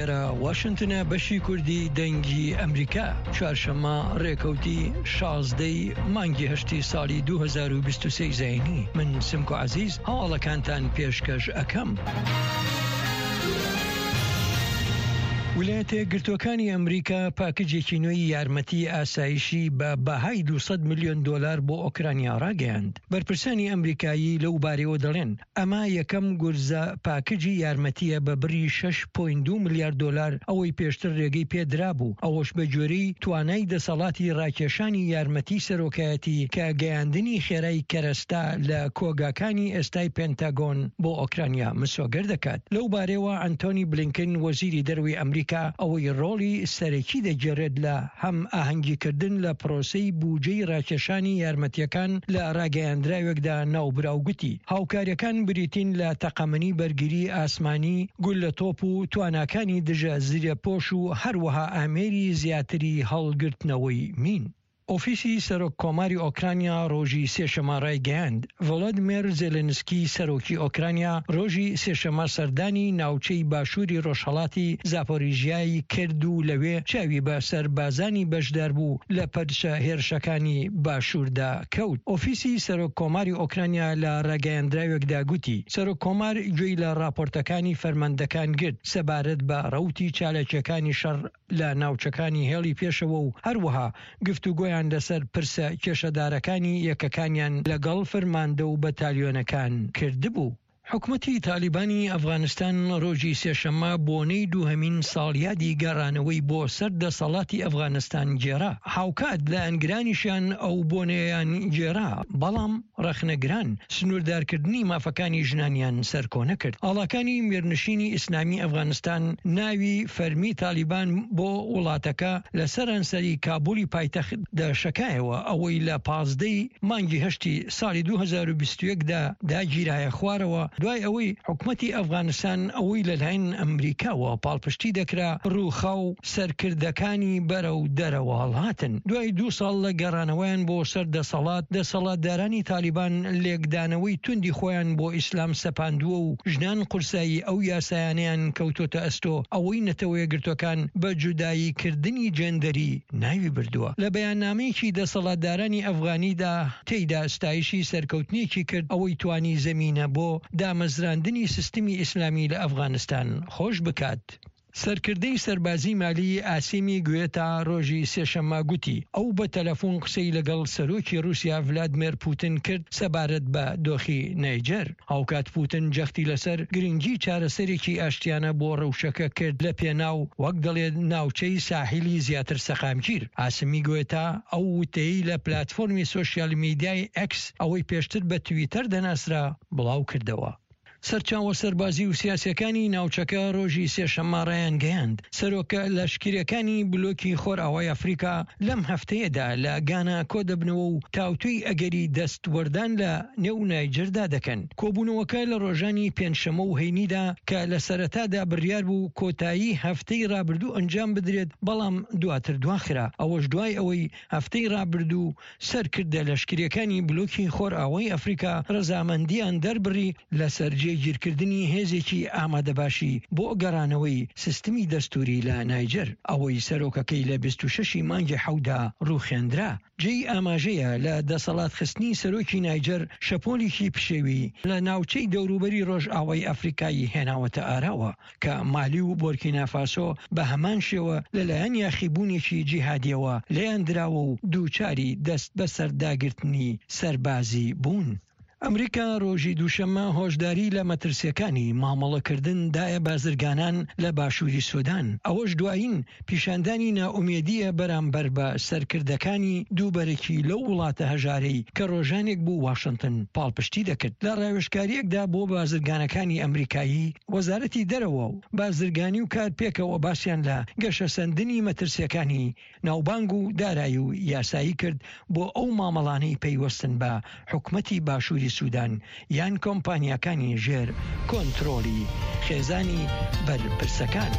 ئێرە واشنتنە بەشی کوردی دەنگی ئەمریکا چوارشەممە ڕێکەوتی شازدەی مانگی هەشتی ساڵی 2023 زینی من سمکۆ عزیز هەواڵەکانتان پێشکەش ئەکەم. ویلایەتە یەکگرتووەکانی ئەمریکا پاکجێکی نوێی یارمەتی ئاسایشی بە بەهای 200 ملیۆن دۆلار بۆ ئۆکرانیا ڕاگەیاند. بەرپرسانی ئەمریکایی لەو بارەیەوە دەڵێن، ئەمە یەکەم گورزە پاکجی یارمەتییە بە بڕی شەش پۆینت دوو ملیار دۆلار ئەوەی پێشتر رێگەی پێدرابوو، ئەوەش بەگوێرەی توانای دەسەڵاتی راکێشانی یارمەتی سەرۆکایەتی کە گەیاندنی خێرای کەرەستە لە کۆگاکانی ئێستای پێنتاگۆن بۆ ئۆکرانیا مسۆگەر دەکات. لەو بارەیەوە ئەنتۆنی بلینکن وەزیری دەرەوەی ئەمریکا ئەوەی رۆڵی سەرەکی دەگێڕێت لە هەم ئاهەنگیکردن لە پرۆسەی بوجەی راکێشانی یارمەتییەکان لە راگەیاندراوێکدا ناوبراو گوتی، هاوکارییەکان بریتین لە تەقەمەنی بەرگری ئاسمانی، گوللە تۆپ و تواناکانی دژە زرێپۆش و هەروەها ئامێری زیاتری هەڵگرتنەوەی مین. ئۆفیسی سەرۆک کۆماری ئۆکرانیا رۆژی سێشەمە رایگەیاند، ڤۆلۆدمێر زێلێنسکی سەرۆکی ئۆکرانیا رۆژی سێشەمە سەردانی ناوچەی باشووری رۆژهەڵاتی زاپۆریژیای کرد و لەوێ چاوی بە سەربازانی بەشداربوو لە پەرچە هێرشەکانی باشووردا کەوت. ئۆفیسی سەرۆک کۆماری ئۆکرانیا لە راگەیەندراوێکدا گوتی، سەرۆک کۆمار گوێی لە راپۆرتەکانی فەرماندەکان گرت سەبارەت بە رەوتی چالاکییەکانی شەڕ لە ناوچەکانی هێڵی پێشەوە و هەروەها گفتوگۆیان لەسەر پرسە کێشەدارەکانی یەکەکانیان لەگەڵ فەرماندە و بەتالیۆنەکان کردبوو. حکومەتی تالیبانی ئەفغانستان ڕۆژی سێشەممە بۆنەی دووهەمین ساڵیادی گەڕانەوەی بۆ سەر دەسەڵاتی ئەفغانستان گێڕا، هاوکات لایەنگرانیشیان ئەو بۆنەیەیان گێڕا، بەڵام ڕەخنەگران سنووردارکردنی مافەکانی ژنانیان سەرکۆنە کرد. ئاڵاکانی میرنشینی ئیسلامی ئەفغانستان ناوی فەرمی تالیبان بۆ وڵاتەکە لە سەرانسەری کابولی پایتەخت دەشەکایەوە، ئەوەی لە 15 ی مانگی هەشتی ساڵی 2021 دا داگیرایە خوارەوە، دوای ئەوەی حکومەتی ئەفغانستان ئەوەی لەلایەن ئەمریکاوە پاڵپشتی دەکرا ڕووخا و سەرکردەکانی بەرەو دەرەوە هەڵهاتن. دوای دوو ساڵ لە گەڕانەوەیان بۆ سەر دەسەڵات، دەسەڵاتدارانی تالیبان لێکدانەوەی توندی خۆیان بۆ ئیسلام سەپاندووە و ژنان قورسایی ئەو یاسایانەیان کەوتۆتە ئەستۆ، ئەوەی نەتەوەیەکگرتووەکان بە جودایی کردنی جێندەری ناوی بردووە. لە بەیاننامەیەکی دەسەڵاتدارانی ئەفغانیدا تێیدا ستایشی سەرکەوتنێکی کرد ئەوەی توانی زەمینە بۆ دامەزراندنی سیستمی ئیسلامی لە ئەفغانستان خۆش بکات. سەرکردەی سەربازی مالی ئاسیمی گوێتا ڕۆژی سێشەممە گوتی، ئەو بە تەلەفۆن قسەی لەگەڵ سەرۆکی ڕووسیا ڤلادمێر پوتن کرد سەبارەت بە دۆخی نەیجەر. هاوکات پوتن جەختی لەسەر گرنگی چارەسەرێکی ئاشتیانە بۆ ڕەوشەکە کرد لە پێناو وەک دەڵێت ناوچەی ساحیلی زیاتر سەقامگیر. ئاسمی گوێتا ئەو وتەیەی لە پلاتفۆرمی سۆشیال میدیای ئێکس ئەوەی پێشتر بە تویتەر دەناسرا بڵاوکردەوە. سەرچاوە سەربازی و سیاسیەکانی ناوچەکە ڕۆژی سێشەممە ڕایانگەیاند، سەرۆکە لەشکریەکانی بلۆکی خۆرئاوای ئەفریکا لەم هەفتەیەدا لە گانا کۆدەبنەوە و تاوتوێی ئەگەری دەستوەردان لە نێو نایجەردا دەکەن. کۆبوونەوەکە لە ڕۆژانی پێنجشەممە و هەینیدا کە لە سەرەتادا بڕیار بوو کۆتایی هەفتەی ڕابردوو ئەنجام بدرێت، بەڵام دواتر دواخرا، ئەوەش دوای ئەوەی هەفتەی ڕابردوو سەرکردە لەشکرییەکانی بلۆکی خۆرئاوای ئەفریکا ڕەزامەندییان دەربڕی لەسەر جێگیرکردنی هێزێکی ئامادەباشی بۆ گەڕانەوەی سیستمی دەستووری لە نایجەر، ئەوەی سەرۆکەکەی لە 26 ی مانگی حەوتدا ڕووخێندرا. جێی ئاماژەیە لە دەسەڵات خستنی سەرۆکی نایجەر شەپۆلێکی پشێوی لە ناوچەی دەوروبەری ڕۆژئاوای ئەفریکای هێناوەتە ئاراوە. کە مالی و بۆرکینافاسۆ بە هەمان شێوە لەلایەن یاخیبوونێکی جیهادیەوە لێیان دراوە و دووچاری دەست بەسەرداگرتنی سەربازی بوون. ئەمریکا ڕۆژی دووشەممە هۆشداری لە مەترسیەکانی مامەڵەکردن دایە بازرگانان لە باشووری سودان، ئەوەش دوایین پیشاندانی نائومێدییە بەرامبەر بە سەرکردەکانی دووبەرەکی لەو وڵاتە هەژارەی کە ڕۆژانێک بوو واشنتن پاڵپشتی دەکرد. لە ڕاوێژکارییەکدا بۆ بازرگانەکانی ئەمریکایی، وەزارەتی دەرەوە و بازرگانی و کار پێکەوە باسیان لە گەشەسەندنی مەترسییەکانی ناوبانگ و دارایی و یاسایی کرد بۆ ئەو مامەڵانەی پەیوەستن بە حکومەتی باشووری سودان یان کۆمپانیاکانی ژێر کۆنترۆڵی خێزانی بەرپرسەکان.